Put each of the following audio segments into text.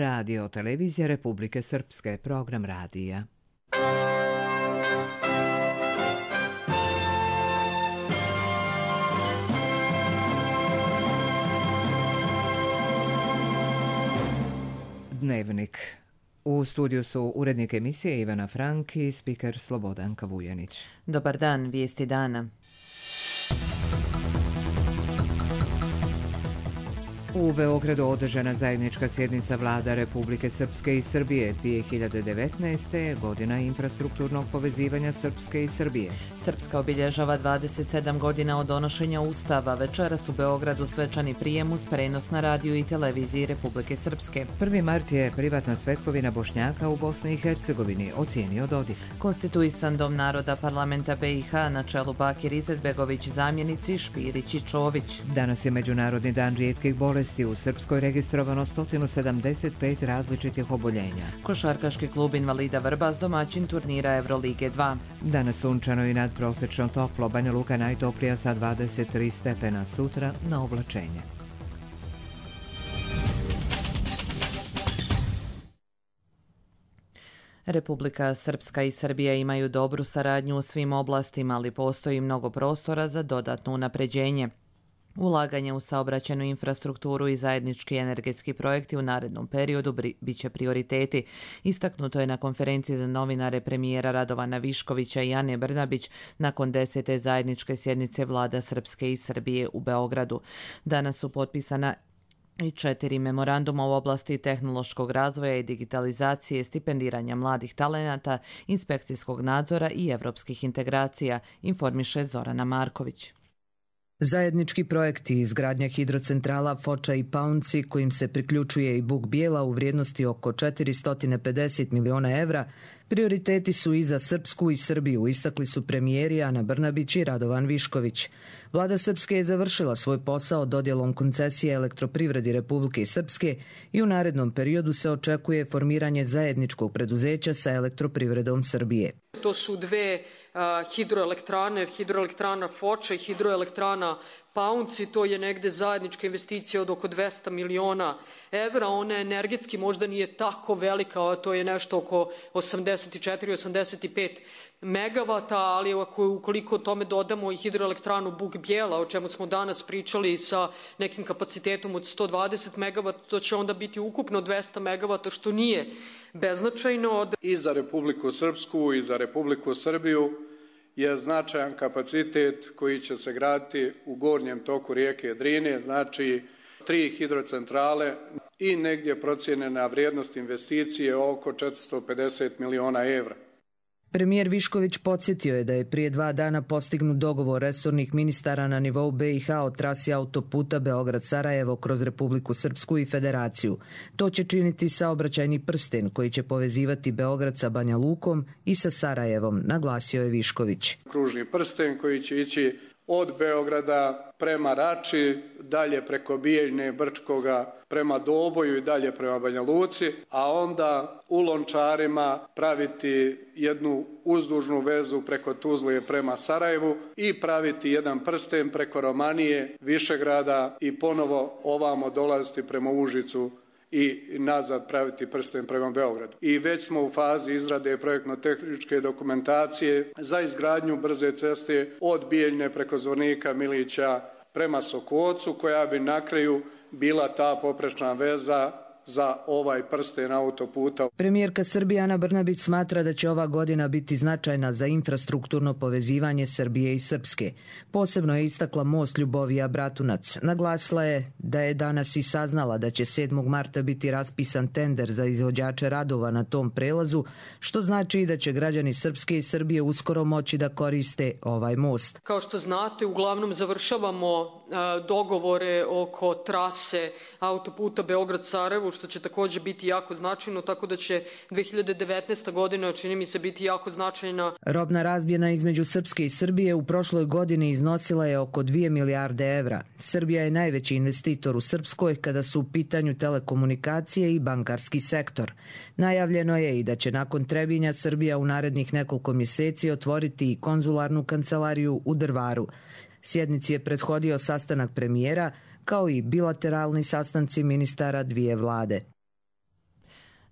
Radio Televizija Republike Srpske, program radija. Dnevnik. U studiju su urednik emisije Ivana Frank i spiker Slobodanka Vujanić. Dobar dan, vijesti dana. U Beogradu održana zajednička sjednica vlada Republike Srpske i Srbije 2019. godina infrastrukturnog povezivanja Srpske i Srbije. Srpska obilježava 27 godina od donošenja Ustava. Večeras u Beogradu svečani prijem uz prenos na radiju i televiziji Republike Srpske. 1. mart je privatna svetkovina Bošnjaka u Bosni i Hercegovini, ocijenio Dodik. Konstituisan Dom naroda parlamenta BiH na čelu Bakir Izetbegović, zamjenici Špirić i Čović. Danas je Međunarodni dan rijetkih bolesti. U Srpskoj registrovano 175 različitih oboljenja. Košarkaški klub Invalida Vrbas domaćin turnira Evrolige 2. Danas sunčano i nadprosečno toplo, Banja Luka najtoplija sa 23 stepena, sutra na oblačenje. Republika Srpska i Srbija imaju dobru saradnju u svim oblastima, ali postoji mnogo prostora za dodatno unapređenje. Ulaganje u saobraćajnu infrastrukturu i zajednički energetski projekti u narednom periodu biće prioriteti. Istaknuto je na konferenciji za novinare premijera Radovana Viškovića i Ane Brnabić nakon 10. zajedničke sjednice vlada Srpske i Srbije u Beogradu. Danas su potpisana i 4 memoranduma u oblasti tehnološkog razvoja i digitalizacije, stipendiranja mladih talenata, inspekcijskog nadzora i evropskih integracija, informiše Zorana Marković. Zajednički projekti izgradnja hidrocentrala Foča i Paunci, kojim se priključuje i Buk Bijela u vrijednosti oko 450 miliona evra, prioriteti su i za Srpsku i Srbiju, istakli su premijeri Ana Brnabić i Radovan Višković. Vlada Srpske je završila svoj posao dodjelom koncesije Elektroprivredi Republike Srpske i u narednom periodu se očekuje formiranje zajedničkog preduzeća sa Elektroprivredom Srbije. To su dve hidroelektrane, hidroelektrana Foča i hidroelektrana Paunci, to je negde zajednička investicija od oko 200 miliona evra, ona energetski možda nije tako velika, to je nešto oko 84-85 megavata, ali ukoliko tome dodamo i hidroelektranu Buk Bijela, o čemu smo danas pričali sa nekim kapacitetom od 120 megavata, to će onda biti ukupno 200 megavata, što nije beznačajno. I za Republiku Srpsku i za Republiku Srbiju je značajan kapacitet koji će se graditi u gornjem toku rijeke Drine, znači 3 hidrocentrale i negdje procijenjena vrijednost investicije oko 450 miliona evra. Premijer Višković podsjetio je da je prije 2 dana postignut dogovor resornih ministara na nivou BiH o trasi autoputa Beograd-Sarajevo kroz Republiku Srpsku i Federaciju. To će činiti saobraćajni prsten koji će povezivati Beograd sa Banja Lukom i sa Sarajevom, naglasio je Višković. Kružni prsten koji će ići od Beograda prema Rači, dalje preko Bijeljne, Brčkoga, prema Doboju i dalje prema Banja Luci, a onda u Lončarima praviti jednu uzdužnu vezu preko Tuzle prema Sarajevu i praviti jedan prsten preko Romanije, Višegrada i ponovo ovamo dolaziti prema Užicu i nazad praviti prsten prema Beogradu. I već smo u fazi izrade projektno-tehničke dokumentacije za izgradnju brze ceste od Bijeljne preko Zvornika, Milića prema Sokocu, koja bi na kraju bila ta poprečna veza za ovaj prsten autoputa. Premijerka Srbije Ana Brnabić smatra da će ova godina biti značajna za infrastrukturno povezivanje Srbije i Srpske. Posebno je istakla most Ljubovija-Bratunac. Naglasila je da je danas i saznala da će 7. marta biti raspisan tender za izvođače radova na tom prelazu, što znači da će građani Srpske i Srbije uskoro moći da koriste ovaj most. Kao što znate, uglavnom završavamo dogovore oko trase autoputa Beograd-Sarajevo, što će također biti jako značajno, tako da će 2019. godina, čini mi se, biti jako značajna. Robna razmjena između Srpske i Srbije u prošloj godini iznosila je oko 2 milijarde evra. Srbija je najveći investitor u Srpskoj kada su u pitanju telekomunikacije i bankarski sektor. Najavljeno je i da će nakon Trebinja Srbija u narednih nekoliko mjeseci otvoriti i konzularnu kancelariju u Drvaru. Sjednici je prethodio sastanak premijera, kao i bilateralni sastanci ministara dvije vlade.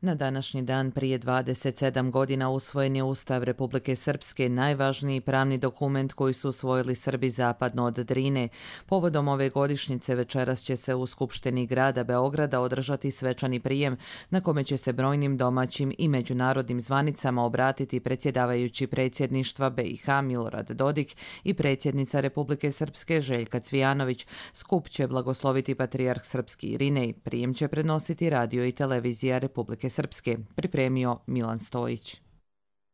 Na današnji dan prije 27 godina usvojen je Ustav Republike Srpske, najvažniji pravni dokument koji su usvojili Srbi zapadno od Drine. Povodom ove godišnjice večeras će se u Skupštini grada Beograda održati svečani prijem na kome će se brojnim domaćim i međunarodnim zvanicama obratiti predsjedavajući predsjedništva BiH Milorad Dodik i predsjednica Republike Srpske Željka Cvijanović. Skup će blagosloviti patrijarh srpski Irinej. Prijem će prenositi radio i televizija Republike Srpske, pripremio Milan Stojić.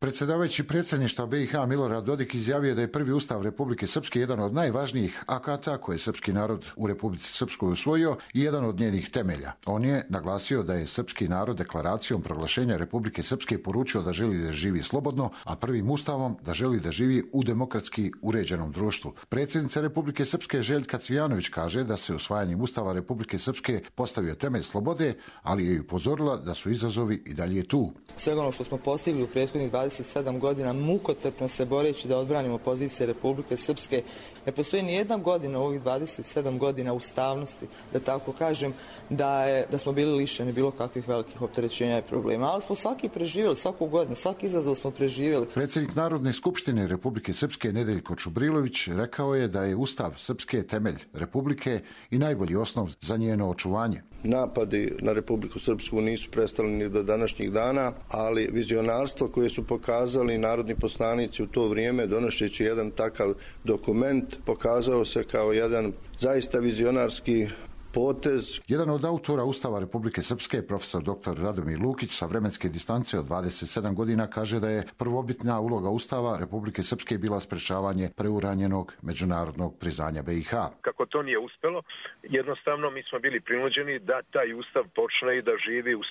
Predsjedavajući predsjedništva BiH Milorad Dodik izjavio da je prvi ustav Republike Srpske jedan od najvažnijih akata koje je srpski narod u Republici Srpskoj usvojio i jedan od njenih temelja. On je naglasio da je srpski narod deklaracijom proglašenja Republike Srpske poručio da želi da živi slobodno, a prvim ustavom da želi da živi u demokratski uređenom društvu. Predsjednica Republike Srpske Željka Cvijanović kaže da se usvajanjem ustava Republike Srpske postavio temelj slobode, ali je upozorila da su izazovi i dalje tu. Sve ono što smo postigli u prethodnih 27 godina mukotrpno se boreći da odbranimo pozicije Republike Srpske. Ne postoji ni jedna godina u ovih 27 godina ustavnosti, da tako kažem, da smo bili lišeni bilo kakvih velikih opterećenja i problema. Ali smo svaki preživjeli, svaku godinu, svaki izazov smo preživjeli. Predsjednik Narodne skupštine Republike Srpske Nedeljko Čubrilović rekao je da je ustav Srpske temelj Republike i najbolji osnov za njeno očuvanje. Napadi na Republiku Srpsku nisu prestali ni do današnjih dana, ali vizionarstvo koje su pokazali narodni poslanici u to vrijeme, donošeći jedan takav dokument, pokazao se kao jedan zaista vizionarski potez. Jedan od autora Ustava Republike Srpske, profesor dr. Radomir Lukić, sa vremenske distance od 27 godina kaže da je prvobitna uloga Ustava Republike Srpske bila sprečavanje preuranjenog međunarodnog priznanja BiH. Kako to nije uspjelo, jednostavno mi smo bili prinuđeni da taj Ustav počne i da živi u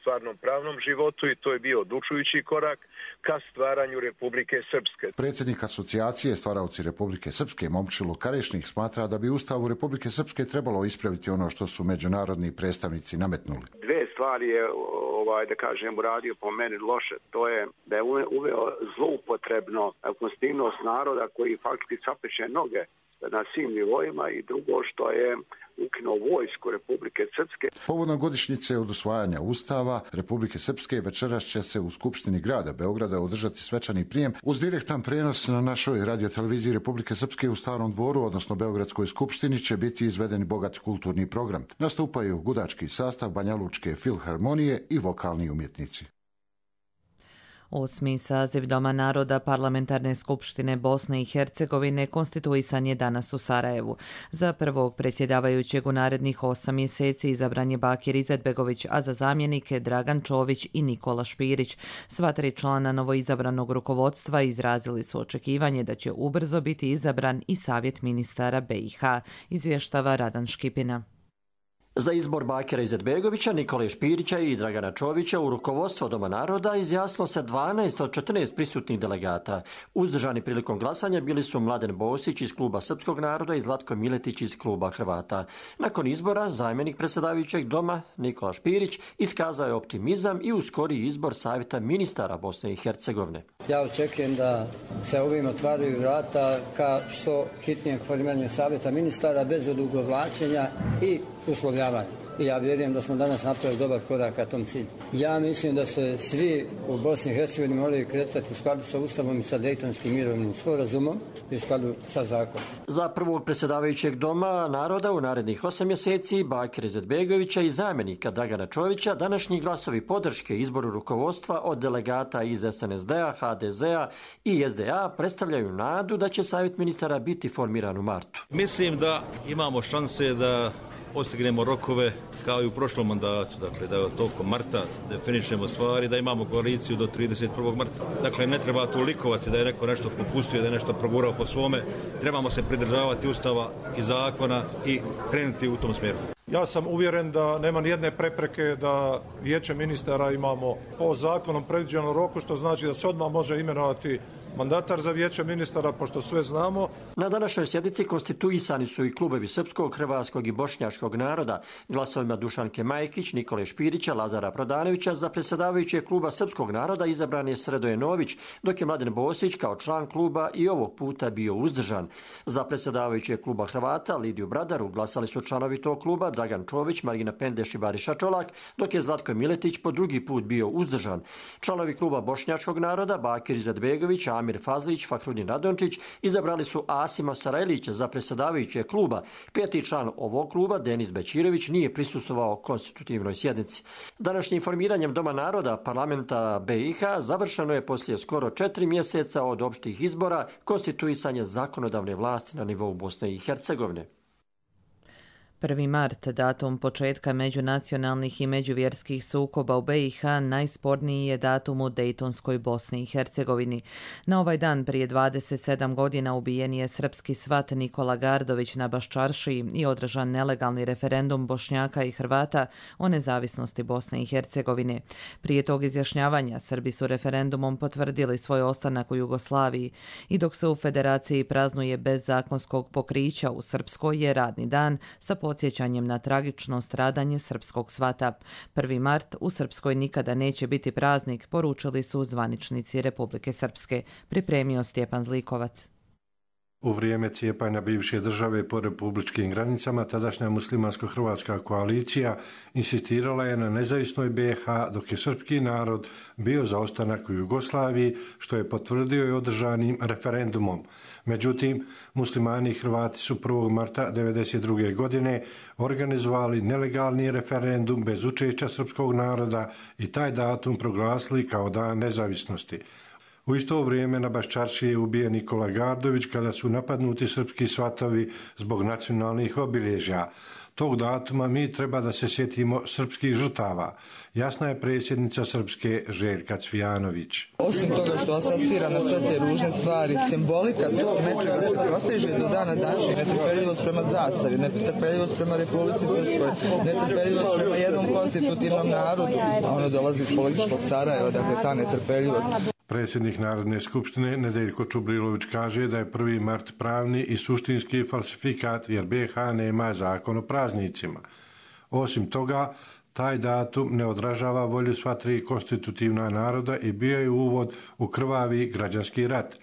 stvarnom pravnom životu i to je bio odlučujući korak ka stvaranju Republike Srpske. Predsjednik asocijacije Stvaraoci Republike Srpske Momčilo Karešnik smatra da bi Ustavu Republike Srpske trebalo ispraviti ono što su međunarodni predstavnici nametnuli. Dve stvari je, da kažem, uradio po meni loše. To je da je uveo zloupotrebno konstitutivnost naroda koji faktički sapeče noge na svim nivoima i drugo što je ukinuo vojsku Republike Srpske. Povodom godišnjice od usvajanja Ustava Republike Srpske večeras će se u Skupštini grada Beograda održati svečani prijem uz direktan prenos na našoj radioteleviziji Republike Srpske u Starom dvoru, odnosno Beogradskoj skupštini, će biti izveden bogat kulturni program. Nastupaju gudački sastav, Banjalučke filharmonije i vokalni umjetnici. 8. saziv Doma naroda Parlamentarne skupštine Bosne i Hercegovine konstituisan je danas u Sarajevu. Za prvog predsjedavajućeg u narednih 8 mjeseci izabran je Bakir Izetbegović, a za zamjenike Dragan Čović i Nikola Špirić. Sva tri člana novoizabranog rukovodstva izrazili su očekivanje da će ubrzo biti izabran i Savjet ministara BiH, izvještava Radan Škipina. Za izbor Bakira Izetbegovića, Nikole Špirića i Dragana Čovića u rukovodstvo Doma naroda izjasnilo se 12 od 14 prisutnih delegata. Uzdržani prilikom glasanja bili su Mladen Bosić iz kluba Srpskog naroda i Zlatko Miletić iz kluba Hrvata. Nakon izbora, zamjenik predsjedavajućeg Doma, Nikola Špirić, iskazao je optimizam i uskoriji izbor Savjeta ministara Bosne i Hercegovine. Ja očekujem da se ovim otvaraju vrata ka što hitnijem formiranju Savjeta ministara bez odugovlačenja i uslovljavanja. I ja vjerujem da smo danas napravili dobar korak ka tom cilju. Ja mislim da se svi u Bosni i Hercegovini moraju kretati u skladu sa Ustavom i sa Dejtonskim mirovnim sporazumom i u skladu sa zakonom. Za prvog predsjedavajućeg Doma naroda u narednih 8 mjeseci Bakira Izetbegovića i zamjenika Dragana Čovića današnji glasovi podrške izboru rukovodstva od delegata iz SNSD-a, HDZ-a i SDA predstavljaju nadu da će Savjet ministara biti formiran u martu. Mislim da imamo šanse da postignemo rokove kao i u prošlom mandatu, dakle da tokom marta definišemo stvari, da imamo koaliciju do 31. marta. Dakle, ne treba tu likovati da je neko nešto popustio, da je nešto progurao po svome. Trebamo se pridržavati Ustava i zakona i krenuti u tom smjeru. Ja sam uvjeren da nema nijedne prepreke da vijeće ministara imamo po zakonom predviđenom roku, što znači da se odmah može imenovati mandatar za vijeće ministara, pošto sve znamo. Na današnjoj sjednici konstituisani su i klubovi srpskog, hrvatskog i bošnjačkog naroda. Glasovima Dušanke Majkić, Nikole Špirića, Lazara Prodanovića za predsjedavajućeg kluba srpskog naroda izabran je Sredoje Nović, dok je Mladen Bosić kao član kluba i ovog puta bio uzdržan. Za predsjedavajućeg kluba Hrvata Lidiju Bradaru glasali su članovi tog kluba Dragan Čović, Marina Pendeš i Bariša Čolak, dok je Zlatko Miletić po drugi put bio uzdržan. Članovi kluba Bošnjačkog naroda Bakir Izetbegović, Amir Fazlić, Fahrudin Radončić izabrali su Asima Sarajlića za predsjedavajućeg kluba. Peti član ovog kluba, Denis Bećirević, nije prisustvovao konstitutivnoj sjednici. Današnjim formiranjem Doma naroda parlamenta BiH završeno je poslije skoro 4 mjeseca od opštih izbora konstituisanje zakonodavne vlasti na nivou Bosne i Hercegovine. 1. mart, datum početka međunacionalnih i međuvjerskih sukoba u BiH, najsporniji je datum u Dejtonskoj Bosni i Hercegovini. Na ovaj dan prije 27 godina ubijen je srpski svat Nikola Gardović na Baščaršiji i održan nelegalni referendum Bošnjaka i Hrvata o nezavisnosti Bosne i Hercegovine. Prije tog izjašnjavanja Srbi su referendumom potvrdili svoj ostanak u Jugoslaviji i dok se u Federaciji praznuje bez zakonskog pokrića, u Srpskoj je radni dan sa podsjećanjem na tragično stradanje srpskog svata. 1. mart u Srpskoj nikada neće biti praznik, poručili su zvaničnici Republike Srpske. Pripremio Stjepan Zlikovac. U vrijeme cijepanja bivše države po republičkim granicama, tadašnja muslimansko-hrvatska koalicija insistirala je na nezavisnoj BiH, dok je srpski narod bio za ostanak u Jugoslaviji, što je potvrdio i održanim referendumom. Međutim, muslimani i Hrvati su 1. marta 1992. godine organizovali nelegalni referendum bez učešća srpskog naroda i taj datum proglasili kao dan nezavisnosti. U isto vrijeme na Baščaršiji je ubijen Nikola Gardović kada su napadnuti srpski svatovi zbog nacionalnih obilježja. Tog datuma mi treba da se sjetimo srpskih žrtava. Jasna je predsjednica Srpske Željka Cvijanović. Osim toga što asocira na sve te ružne stvari, simbolika tog nečega se proteže do dana današnjeg. Netrpeljivost prema zastavi, netrpeljivost prema Republici Srpskoj, netrpeljivost prema jednom konstitutivnom narodu, a ono dolazi iz političkog Sarajeva, dakle ta netrpeljivost. Predsjednik Narodne skupštine Nedeljko Čubrilović kaže da je 1. mart pravni i suštinski falsifikat jer BiH nema zakon o praznicima. Osim toga, taj datum ne odražava volju sva tri konstitutivna naroda i bio je uvod u krvavi građanski rat.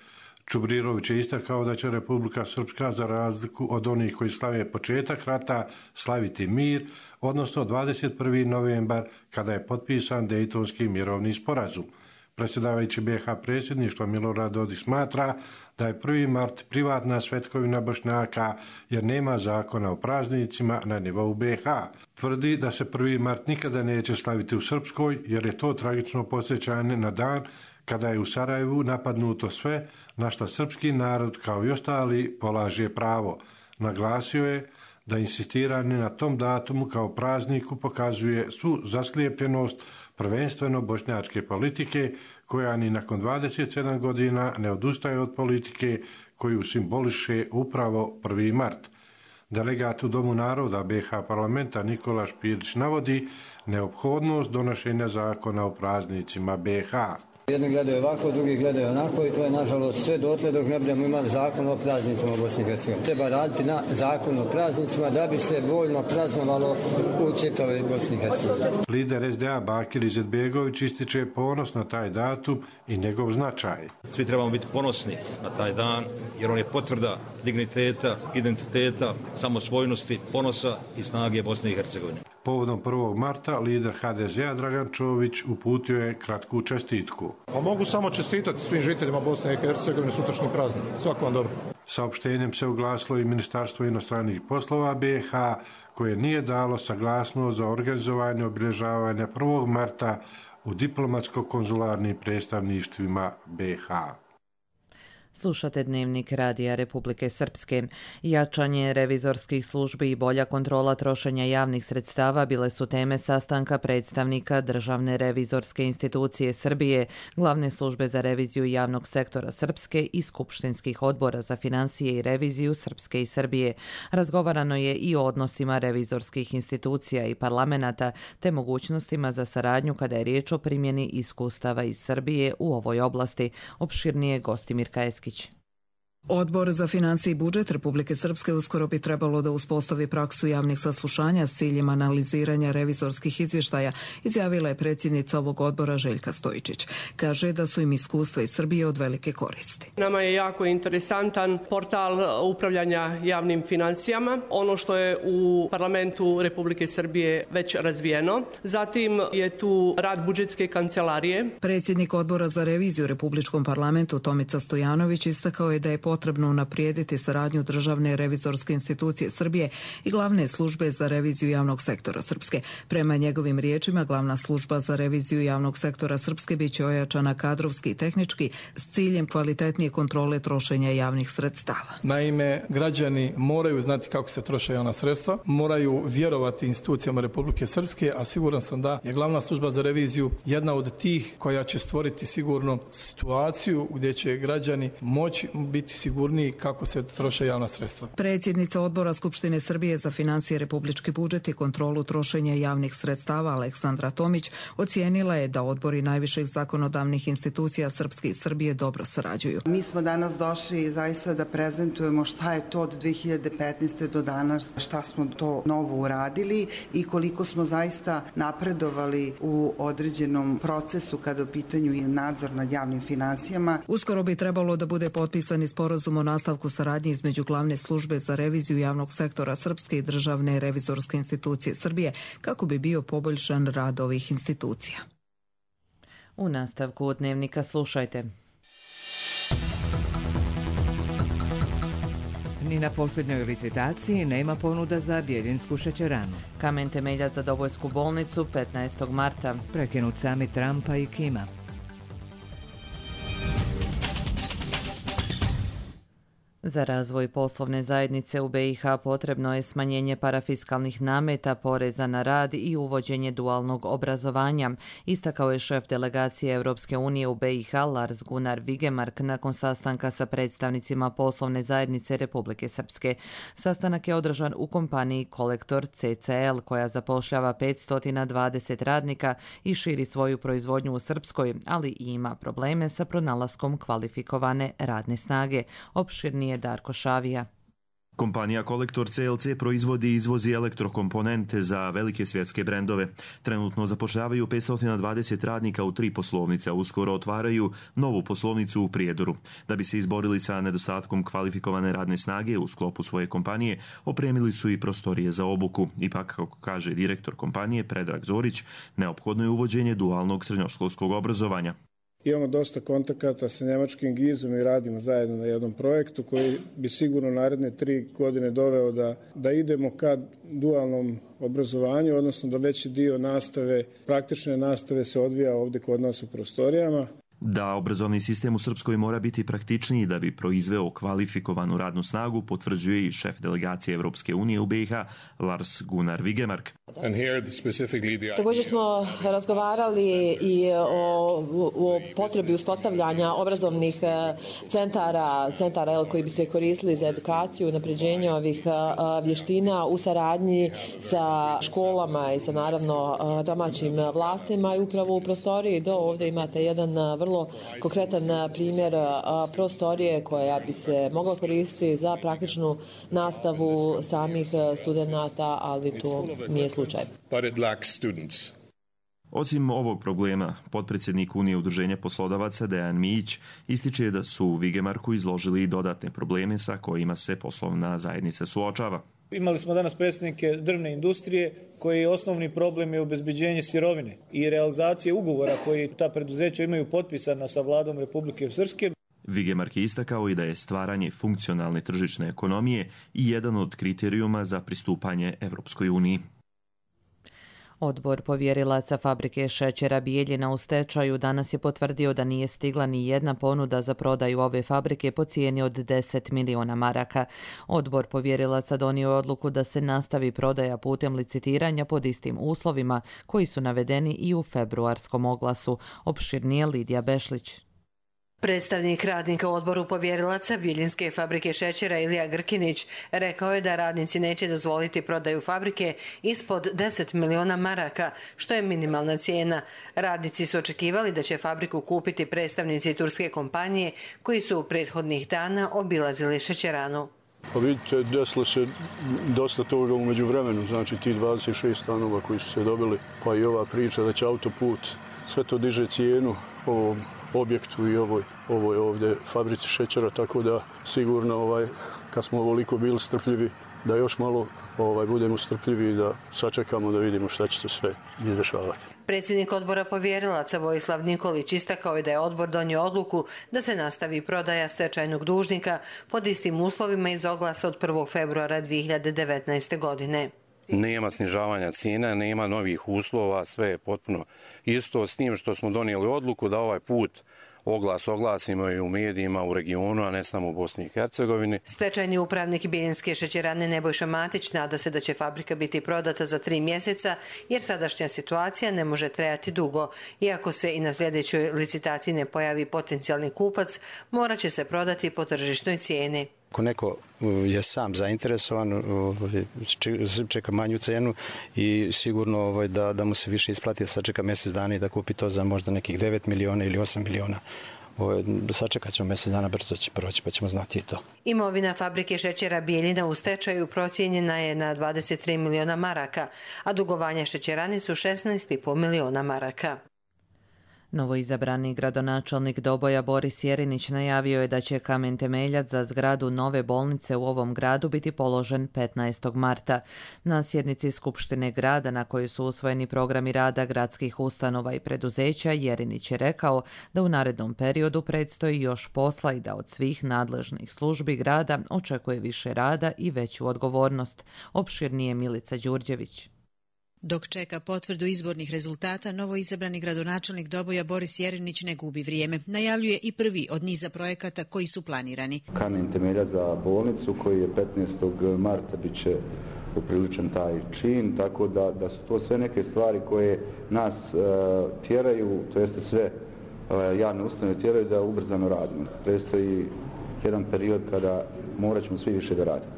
Čubrilović je istakao da će Republika Srpska za razliku od onih koji slave početak rata slaviti mir, odnosno 21. novembar kada je potpisan Dejtonski mirovni sporazum. Predsjedavajući BiH predsjedništva Milorad Dodik smatra da je 1. mart privatna svetkovina Bošnjaka jer nema zakona o praznicima na nivou BiH. Tvrdi da se 1. mart nikada neće slaviti u Srpskoj jer je to tragično podsjećanje na dan kada je u Sarajevu napadnuto sve na što srpski narod kao i ostali polaže pravo. Naglasio je da insistiranje na tom datumu kao prazniku pokazuje svu zaslijepljenost prvenstveno bošnjačke politike koja ni nakon 27 godina ne odustaje od politike koju simboliše upravo 1. mart. Delegat u Domu naroda BiH parlamenta Nikola Špirić navodi neophodnost donošenja zakona o praznicima BiH. Jedni gledaju ovako, drugi gledaju onako i to je nažalost sve dotle dok ne budemo imali zakon o praznicima u Bosni i Hercegovini. Treba raditi na zakon o praznicima da bi se voljno praznovalo u čitavoj Bosni i Hercegovini. Lider SDA Bakir Izetbegović ističe ponos na taj datum i njegov značaj. Svi trebamo biti ponosni na taj dan jer on je potvrda digniteta, identiteta, samosvojnosti, ponosa i snage Bosne i Hercegovine. Povodom 1. marta lider HDZ-a Dragan Čović uputio je kratku čestitku. Pa mogu samo čestitati svim žiteljima Bosne i Hercegovine sutrašnji praznik. Svako vam dobro. Saopštenjem se oglasilo i Ministarstvo inostranih poslova BiH koje nije dalo saglasnost za organizovanje obilježavanja 1. marta u diplomatsko-konzularnim predstavništvima BiH. Slušate Dnevnik Radija Republike Srpske. Jačanje revizorskih službi i bolja kontrola trošenja javnih sredstava bile su teme sastanka predstavnika Državne revizorske institucije Srbije, Glavne službe za reviziju javnog sektora Srpske i skupštinskih odbora za financije i reviziju Srpske i Srbije. Razgovarano je i o odnosima revizorskih institucija i parlamenata te mogućnostima za saradnju kada je riječ o primjeni iskustava iz Srbije u ovoj oblasti. Opširnije Gostimir Kajeskić. Odbor za financije i budžet Republike Srpske uskoro bi trebalo da uspostavi praksu javnih saslušanja s ciljem analiziranja revizorskih izvještaja, izjavila je predsjednica ovog odbora Željka Stojičić. Kaže da su im iskustva iz Srbije od velike koristi. Nama je jako interesantan portal upravljanja javnim financijama, ono što je u parlamentu Republike Srbije već razvijeno. Zatim je tu rad budžetske kancelarije. Predsjednik odbora za reviziju u Republičkom parlamentu Tomica Stojanović istakao je da je potrebno unaprijediti saradnju Državne revizorske institucije Srbije i Glavne službe za reviziju javnog sektora Srpske. Prema njegovim riječima, Glavna služba za reviziju javnog sektora Srpske biće ojačana kadrovski i tehnički s ciljem kvalitetnije kontrole trošenja javnih sredstava. Naime, građani moraju znati kako se troše javna sredstva, moraju vjerovati institucijama Republike Srpske, a siguran sam da je Glavna služba za reviziju jedna od tih koja će stvoriti sigurno situaciju gdje će građani moći biti sigurniji kako se troše javna sredstva. Predsjednica odbora Skupštine Srbije za financije, republički budžet i kontrolu trošenja javnih sredstava Aleksandra Tomić ocijenila je da odbori najviših zakonodavnih institucija Srpske i Srbije dobro sarađuju. Mi smo danas došli zaista da prezentujemo šta je to od 2015. do danas, šta smo to novo uradili i koliko smo zaista napredovali u određenom procesu kada u pitanju je nadzor nad javnim financijama. Uskoro bi trebalo da bude potpisani sporazum o nastavku saradnje između Glavne službe za reviziju javnog sektora Srpske i Državne revizorske institucije Srbije kako bi bio poboljšan rad ovih institucija. U nastavku Dnevnika slušajte. Ni na posljednjoj licitaciji nema ponuda za Bjeljinsku šećeranu. Kamen temeljac za Dobojsku bolnicu 15. marta. Prekinut samit Trumpa i Kima. Za razvoj poslovne zajednice u BiH potrebno je smanjenje parafiskalnih nameta, poreza na rad i uvođenje dualnog obrazovanja, istakao je šef delegacije Europske unije u BiH Lars Gunnar Vigemark nakon sastanka sa predstavnicima poslovne zajednice Republike Srpske. Sastanak je održan u kompaniji Kolektor CCL koja zapošljava 520 radnika i širi svoju proizvodnju u Srpskoj, ali i ima probleme sa pronalaskom kvalifikovane radne snage. Opširnije Darko Šavija. Kompanija Kolektor CLC proizvodi i izvozi elektrokomponente za velike svjetske brendove. Trenutno zapošljavaju 520 radnika u 3 poslovnice, a uskoro otvaraju novu poslovnicu u Prijedoru. Da bi se izborili sa nedostatkom kvalifikovane radne snage u sklopu svoje kompanije, opremili su i prostorije za obuku. Ipak, kako kaže direktor kompanije Predrag Zorić, neophodno je uvođenje dualnog srednjoškolskog obrazovanja. Imamo dosta kontakata sa njemačkim GIZ-om i radimo zajedno na jednom projektu koji bi sigurno naredne 3 godine doveo da idemo ka dualnom obrazovanju, odnosno da veći dio nastave, praktične nastave se odvija ovdje kod nas u prostorijama. Da obrazovni sistem u Srpskoj mora biti praktičniji da bi proizveo kvalifikovanu radnu snagu, potvrđuje i šef delegacije Europske unije u BiH Lars Gunnar Vigemark. Također smo razgovarali i o potrebi uspostavljanja obrazovnih centara koji bi se koristili za edukaciju, napređenje ovih vještina u saradnji sa školama i sa naravno domaćim vlastima i upravo u prostoriji do ovdje imate jedan vrlo konkretan primjer prostorije koja bi se mogla koristiti za praktičnu nastavu samih studenata, ali to nije slučaj. Osim ovog problema, potpredsjednik Unije udruženja poslodavaca Dejan Mijić ističe da su Vigemarku izložili i dodatne probleme sa kojima se poslovna zajednica suočava. Imali smo danas predstavnike drvne industrije koji osnovni problem je obezbeđenje sirovine i realizacije ugovora koji ta preduzeća imaju potpisana sa vladom Republike Srpske. Vigemark je istakao i da je stvaranje funkcionalne tržišne ekonomije i jedan od kriterijuma za pristupanje Evropskoj uniji. Odbor povjerilaca fabrike šećera Bijeljina u stečaju danas je potvrdio da nije stigla ni jedna ponuda za prodaju ove fabrike po cijeni od 10 miliona maraka. Odbor povjerilaca donio odluku da se nastavi prodaja putem licitiranja pod istim uslovima koji su navedeni i u februarskom oglasu. Opširnije Lidija Bešlić. Predstavnik radnika u odboru povjerilaca Bijeljinske fabrike šećera Ilija Grkinić rekao je da radnici neće dozvoliti prodaju fabrike ispod 10 miliona maraka, što je minimalna cijena. Radnici su očekivali da će fabriku kupiti predstavnici turske kompanije koji su u prethodnih dana obilazili šećeranu. Pa vidite, desilo se dosta toga u međuvremenu, znači ti 26 stanova koji su se dobili, pa i ova priča da će autoput, sve to diže cijenu ovom objektu i ovoj ovdje fabrici šećera, tako da sigurno kad smo ovoliko bili strpljivi, da još malo budemo strpljivi i da sačekamo da vidimo šta će se sve izdešavati. Predsjednik odbora povjerilaca Vojislav Nikolić istakao je da je odbor donio odluku da se nastavi prodaja stečajnog dužnika pod istim uslovima iz oglasa od 1. februara 2019. godine. Nema snižavanja cijena, nema novih uslova, sve je potpuno isto s tim što smo donijeli odluku da ovaj put oglasimo i u medijima u regionu, a ne samo u Bosni i Hercegovini. Stečajni upravnik Bijeljinske šećerane Nebojša Matić nada se da će fabrika biti prodata za 3 mjeseca, jer sadašnja situacija ne može trajati dugo. Iako se i na sljedećoj licitaciji ne pojavi potencijalni kupac, morat će se prodati po tržišnoj cijeni. Ako neko je sam zainteresovan, čeka manju cenu i sigurno da mu se više isplati da sačeka mjesec dana i da kupi to za možda nekih 9 miliona ili 8 miliona. Sačekat ćemo mjesec dana, brzo će proći pa ćemo znati i to. Imovina fabrike šećera Bijeljina u stečaju procijenjena je na 23 miliona maraka, a dugovanja šećerani su 16,5 miliona maraka. Novoizabrani gradonačelnik Doboja Boris Jerinić najavio je da će kamen temeljac za zgradu nove bolnice u ovom gradu biti položen 15. marta. Na sjednici Skupštine grada na kojoj su usvojeni programi rada gradskih ustanova i preduzeća, Jerinić je rekao da u narednom periodu predstoji još posla i da od svih nadležnih službi grada očekuje više rada i veću odgovornost. Opširnije Milica Đurđević. Dok čeka potvrdu izbornih rezultata, novoizabrani gradonačelnik Doboja Boris Jerinić ne gubi vrijeme. Najavljuje i prvi od niza projekata koji su planirani. Kamen temeljac za bolnicu koji je 15. marta bit će upriličen taj čin, tako da su to sve neke stvari koje nas tjeraju, to jeste sve javne ustanove tjeraju da ubrzano radimo. Predstoji jedan period kada morat ćemo svi više da radimo.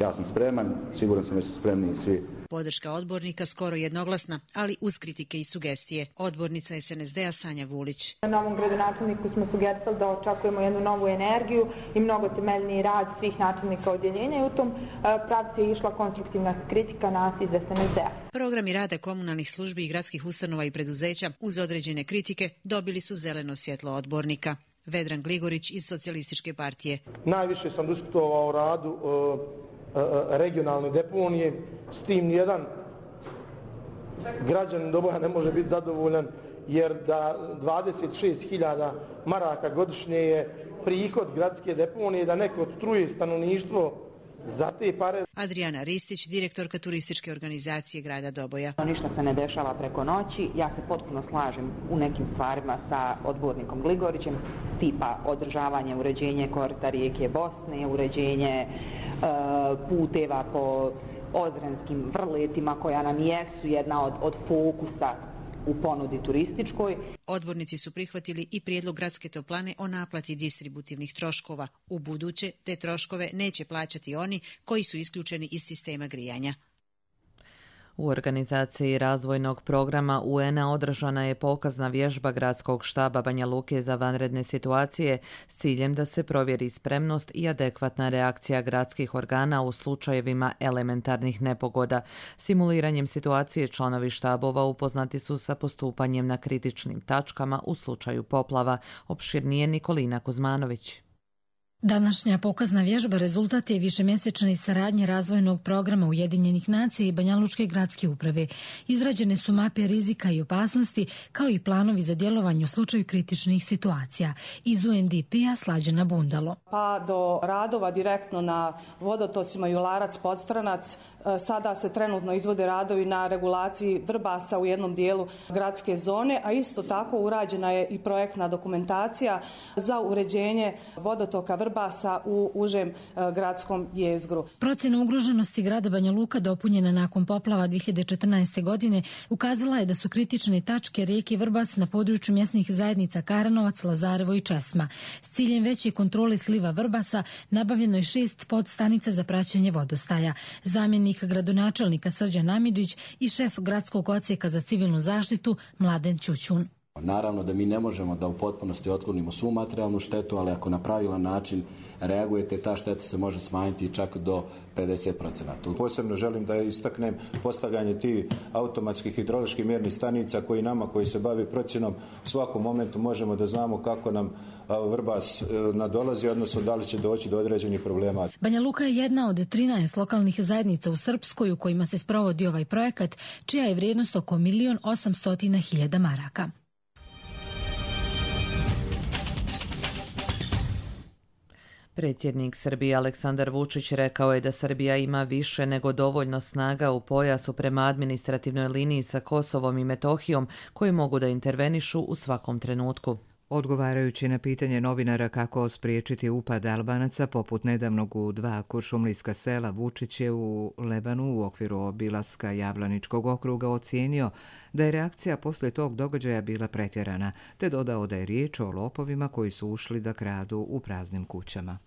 Ja sam spreman, siguran sam da su spremni i svi. Podrška odbornika skoro jednoglasna, ali uz kritike i sugestije. Odbornica SNSD-a Sanja Vulić. Novom gradonačelniku smo sugerisali da očekujemo jednu novu energiju i mnogo temeljniji rad svih načelnika odjeljenja i u tom pravcu je išla konstruktivna kritika nas iz SNSD-a. Programi rada komunalnih službi i gradskih ustanova i preduzeća uz određene kritike dobili su zeleno svjetlo odbornika. Vedran Gligorić iz Socijalističke partije. Najviše sam diskutovao o radu regionalne deponije, s tim nijedan građanin Doboja ne može biti zadovoljan, jer da 26.000 maraka godišnje je prihod gradske deponije, da neko truje stanovništvo za te pare. Adriana Ristić, direktorka turističke organizacije grada Doboja. Ništa se ne dešava preko noći. Ja se potpuno slažem u nekim stvarima sa odbornikom Gligorićem, tipa održavanje, uređenje korita rijeke Bosne, uređenje puteva po ozrenskim vrletima koja nam jesu jedna od fokusa u ponudi turističkoj. Odbornici su prihvatili i prijedlog gradske toplane o naplati distributivnih troškova. U buduće te troškove neće plaćati oni koji su isključeni iz sistema grijanja. U organizaciji razvojnog programa UN-a održana je pokazna vježba Gradskog štaba Banja Luke za vanredne situacije s ciljem da se provjeri spremnost i adekvatna reakcija gradskih organa u slučajevima elementarnih nepogoda. Simuliranjem situacije članovi štabova upoznati su sa postupanjem na kritičnim tačkama u slučaju poplava. Opširnije Nikolina Kuzmanović. Današnja pokazna vježba rezultat je višemjesečne saradnje razvojnog programa Ujedinjenih nacija i Banjalučke gradske uprave. Izrađene su mape rizika i opasnosti, kao i planovi za djelovanje u slučaju kritičnih situacija. Iz UNDP-a Slađana Bundalo. Pa do radova direktno na vodotocima Jularac-Podstranac. Sada se trenutno izvode radovi na regulaciji Vrbasa u jednom dijelu gradske zone, a isto tako urađena je i projektna dokumentacija za uređenje vodotoka Vrbasa vrbasa u užem gradskom jezgru. Procjena ugroženosti grada Banja Luka dopunjena nakon poplava 2014. godine ukazala je da su kritične tačke rijeke Vrbas na području mjesnih zajednica Karanovac, Lazarevo i Česma. S ciljem veće kontrole sliva Vrbasa nabavljeno je 6 podstanica za praćenje vodostaja. Zamjenik gradonačelnika Srđan Amidžić i šef gradskog odsjeka za civilnu zaštitu Mladen Ćućun. Naravno da mi ne možemo da u potpunosti otklonimo svu materijalnu štetu, ali ako na pravilan način reagujete, ta šteta se može smanjiti čak do 50%. Posebno želim da istaknem postavljanje tih automatskih hidroloških mjernih stanica koji se bavi procjenom u svakom momentu možemo da znamo kako nam Vrbas nadolazi, odnosno da li će doći do određenih problema. Banja Luka je jedna od 13 lokalnih zajednica u Srpskoj u kojima se sprovodi ovaj projekat, čija je vrijednost oko 1.800.000 maraka. Predsjednik Srbije Aleksandar Vučić rekao je da Srbija ima više nego dovoljno snaga u pojasu prema administrativnoj liniji sa Kosovom i Metohijom koji mogu da intervenišu u svakom trenutku. Odgovarajući na pitanje novinara kako spriječiti upad Albanaca poput nedavnog u 2 kuršumlijska sela, Vučić je u Lebanu u okviru obilaska Javlaničkog okruga ocijenio da je reakcija poslije tog događaja bila pretjerana, te dodao da je riječ o lopovima koji su ušli da kradu u praznim kućama.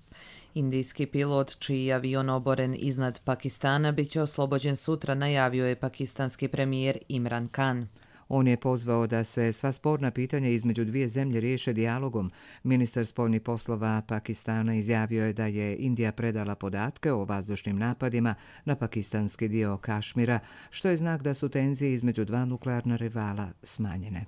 Indijski pilot čiji je avion oboren iznad Pakistana bit će oslobođen sutra, najavio je pakistanski premijer Imran Khan. On je pozvao da se sva sporna pitanja između dvije zemlje riješe dijalogom. Ministar spoljnih poslova Pakistana izjavio je da je Indija predala podatke o vazdušnim napadima na pakistanski dio Kašmira, što je znak da su tenzije između dva nuklearna rivala smanjene.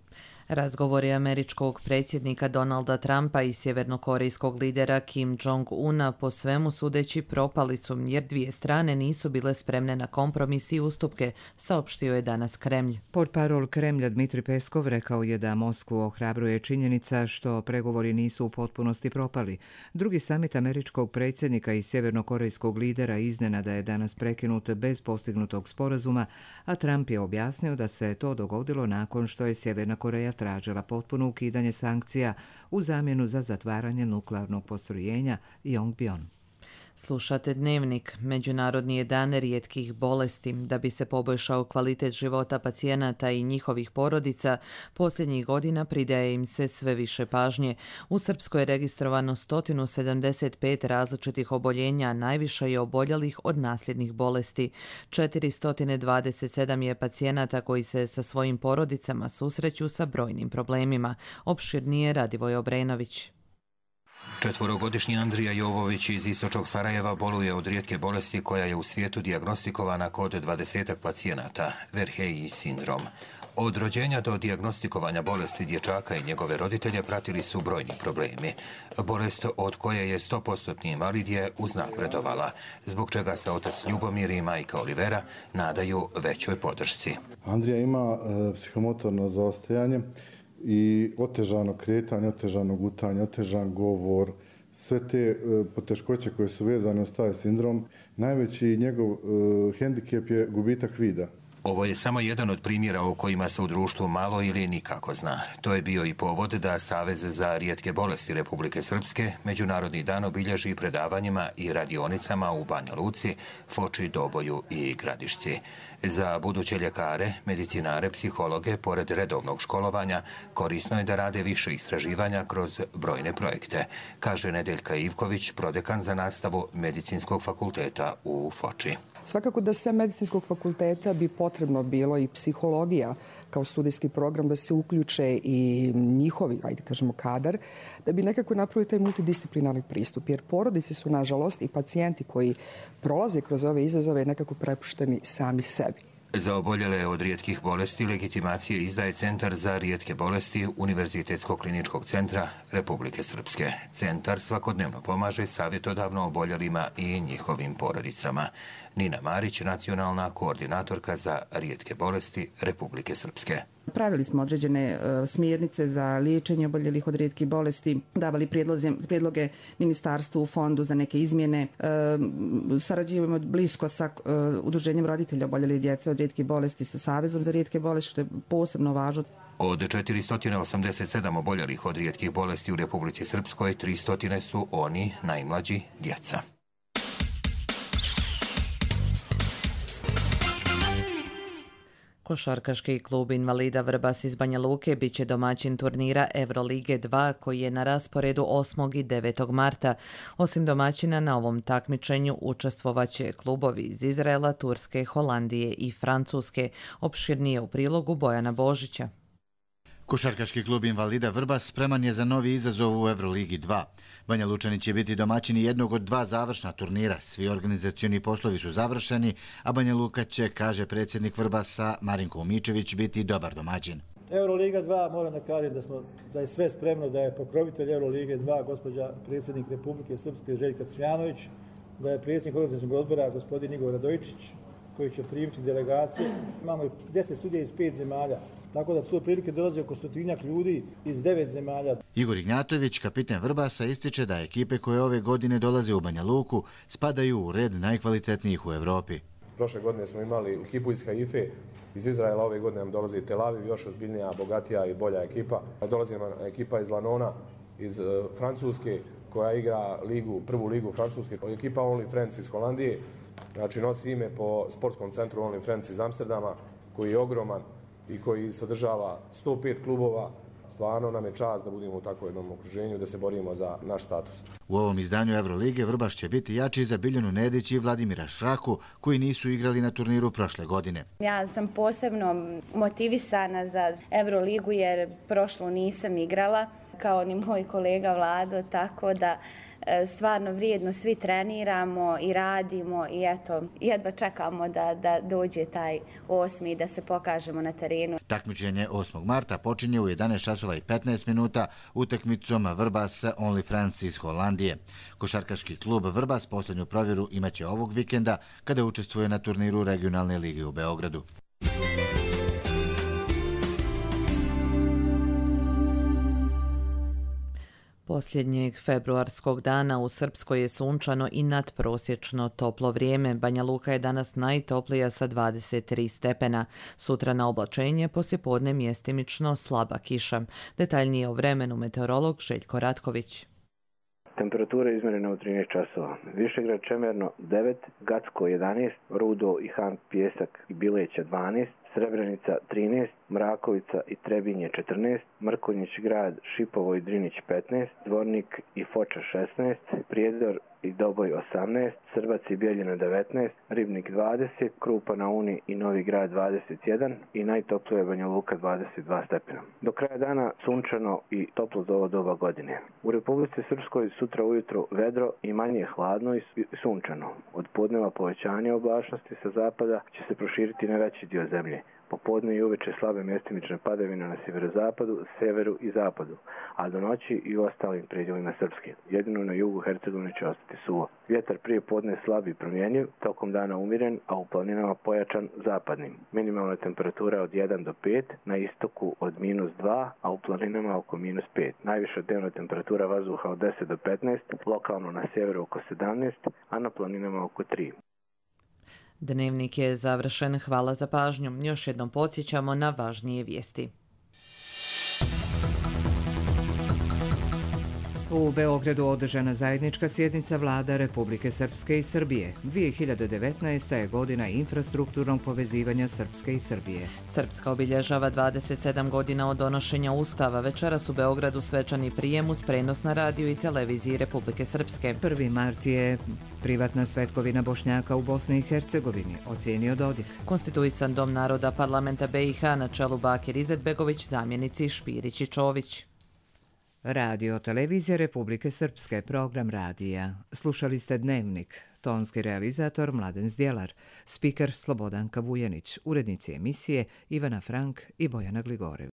Razgovori američkog predsjednika Donalda Trumpa i sjevernokorejskog lidera Kim Jong-una po svemu sudeći propali su jer dvije strane nisu bile spremne na kompromis i ustupke, saopštio je danas Kremlj. Portparol Kremlja Dmitri Peskov rekao je da Moskvu ohrabruje činjenica što pregovori nisu u potpunosti propali. Drugi samit američkog predsjednika i sjevernokorejskog lidera iznenada je danas prekinut bez postignutog sporazuma, a Trump je objasnio da se to dogodilo nakon što je Sjeverna Koreja tražila potpuno ukidanje sankcija u zamjenu za zatvaranje nuklearnog postrojenja Yongbyon. Slušate Dnevnik. Međunarodni je dan rijetkih bolesti. Da bi se poboljšao kvalitet života pacijenata i njihovih porodica, posljednjih godina pridaje im se sve više pažnje. U Srpskoj je registrovano 175 različitih oboljenja, najviše je oboljelih od nasljednih bolesti. 427 je pacijenata koji se sa svojim porodicama susreću sa brojnim problemima. Opširnije Radivoj Obrenović. 4-godišnji Andrija Jovović iz istočnog Sarajeva boluje od rijetke bolesti koja je u svijetu dijagnostikovana kod 20 pacijenata, Verheji sindrom. Od rođenja do dijagnostikovanja bolesti dječaka i njegove roditelje pratili su brojni problemi. Bolest od koje je 100% invalid je uznapredovala, zbog čega se otac Ljubomir i majka Olivera nadaju većoj podršci. Andrija ima psihomotorno zaostajanje i otežano kretanje, otežano gutanje, otežan govor, sve te poteškoće koje su vezane uz taj sindrom. Najveći njegov hendikep je gubitak vida. Ovo je samo jedan od primjera o kojima se u društvu malo ili nikako zna. To je bio i povod da Savez za rijetke bolesti Republike Srpske Međunarodni dan obilježi predavanjima i radionicama u Banja Luci, Foči, Doboju i Gradišci. Za buduće ljekare, medicinare, psihologe, pored redovnog školovanja, korisno je da rade više istraživanja kroz brojne projekte, kaže Nedeljka Ivković, prodekan za nastavu Medicinskog fakulteta u Foči. Svakako da sem Medicinskog fakulteta bi potrebno bilo i psihologija kao studijski program, da se uključe i njihovi, ajde kažemo, kadar, da bi nekako napravili taj multidisciplinarni pristup. Jer porodice su, nažalost, i pacijenti koji prolaze kroz ove izazove nekako prepušteni sami sebi. Za oboljele od rijetkih bolesti legitimacije izdaje Centar za rijetke bolesti Univerzitetskog kliničkog centra Republike Srpske. Centar svakodnevno pomaže savjetodavno oboljelima i njihovim porodicama. Nina Marić, nacionalna koordinatorka za rijetke bolesti Republike Srpske. Pravili smo određene smjernice za liječenje oboljelih od rijetkih bolesti, davali prijedloge ministarstvu, fondu za neke izmjene. Sarađujemo blisko sa Udruženjem roditelja oboljelih djece od rijetkih bolesti, sa Savezom za rijetke bolesti, što je posebno važno. Od 487 oboljelih od rijetkih bolesti u Republici Srpskoj, 300 su oni najmlađi, djeca. Košarkaški klub invalida Vrbas iz Banja Luke bit će domaćin turnira Evrolige 2 koji je na rasporedu 8. i 9. marta. Osim domaćina na ovom takmičenju učestvovaće klubovi iz Izraela, Turske, Holandije i Francuske. Opširnije u prilogu Bojana Božića. Košarkaški klub invalida Vrbas spreman je za novi izazov u Evroligi 2. Banja Lučani će biti domaćini jednog od 2 završna turnira. Svi organizacioni poslovi su završeni, a Banja Luka će, kaže predsjednik Vrbasa Marinko Umičević, biti dobar domaćin. Evroliga 2, moram da kažem da je sve spremno, da je pokrovitelj Evrolige 2 gospođa predsjednik Republike Srpske Željka Cvjanović, da je predsjednik organizacionog odbora gospodin Igor Radojičić koji će primiti delegacije. Imamo 10 sudija iz 5 zemalja. Tako da tu prilike dolazi oko 100 ljudi iz 9 zemalja. Igor Ignjatović, kapiten Vrbasa, ističe da ekipe koje ove godine dolaze u Banja Luku spadaju u red najkvalitetnijih u Evropi. Prošle godine smo imali ekipu iz Haife, iz Izraela, ove godine nam dolazi Tel Aviv, još ozbiljnija, bogatija i bolja ekipa. Dolazi nam ekipa iz Lanona, iz Francuske, koja igra prvu ligu Francuske. Ekipa Only Friends iz Holandije, znači nosi ime po sportskom centru Only Friends iz Amsterdama, koji je ogroman i koji sadržava 105 klubova. Stvarno nam je čast da budemo u takvom jednom okruženju, da se borimo za naš status. U ovom izdanju Evrolige Vrbas će biti jači za Biljanu Nedić i Vladimira Šraku, koji nisu igrali na turniru prošle godine. Ja sam posebno motivisana za Evroligu jer prošlu nisam igrala, kao ni moj kolega Vlado, tako da stvarno vrijedno svi treniramo i radimo i eto, jedva čekamo da dođe taj 8. da se pokažemo na terenu. Takmičenje 8. marta počinje u 11:15 utakmicom Vrbas Only Friends iz Holandije. Košarkaški klub Vrbas posljednju provjeru imaće ovog vikenda kada učestvuje na turniru regionalne lige u Beogradu. Posljednjeg februarskog dana u Srpskoj je sunčano i nadprosječno toplo vrijeme. Banja Luka je danas najtoplija sa 23 stepena. Sutra na oblačenje, poslijepodne mjestimično slaba kiša. Detaljnije o vremenu meteorolog Željko Ratković. Temperatura izmjerena u 13 časova. Višegrad Čemerno 9, Gacko 11, Rudo i Han Pjesak i Bileća 12, Srebrenica 13, Mrakovica i Trebinje 14, Mrkonjić grad, Šipovo i Drinić 15, Zvornik i Foča 16, Prijedor i Doboj 18, Srbac i Bijeljina 19, Ribnik 20, Krupa na Uni i Novi grad 21 i najtoplija Banja Luka 22 stepena. Do kraja dana sunčano i toplo za ovo doba godine. U Republici Srpskoj sutra ujutro vedro i manje hladno i sunčano. Od podneva povećanje oblačnosti sa zapada će se proširiti na veći dio zemlje. Popodne i uveče slabe mjestimične padavine na sjeverozapadu, severu i zapadu, a do noći i u ostalim predjelima Srpske. Jedino na jugu Hercegovine će ostati suvo. Vjetar prije podne slab i promjenjiv, tokom dana umiren, a u planinama pojačan zapadnim. Minimalna temperatura od 1 do 5, na istoku od -2, a u planinama oko -5. Najviša dnevna temperatura vazduha od 10 do 15, lokalno na sjeveru oko 17, a na planinama oko 3. Dnevnik je završen. Hvala za pažnju. Još jednom podsjećamo na važnije vijesti. U Beogradu održana zajednička sjednica vlada Republike Srpske i Srbije. 2019. je godina infrastrukturnog povezivanja Srpske i Srbije. Srpska obilježava 27 godina od donošenja Ustava. Večeras u Beogradu svečani prijem uz prenos na radiju i televiziji Republike Srpske. 1. mart je privatna svetkovina Bošnjaka u Bosni i Hercegovini, ocijenio Dodik. Konstituisan dom naroda parlamenta BiH na čelu Bakir Izetbegović, zamjenici Špirić i Čović. Radio televizija Republike Srpske, program radija. Slušali ste Dnevnik, tonski realizator Mladen Zdjelar, spiker Slobodanka Vujenić, urednici emisije Ivana Frank i Bojana Gligorev.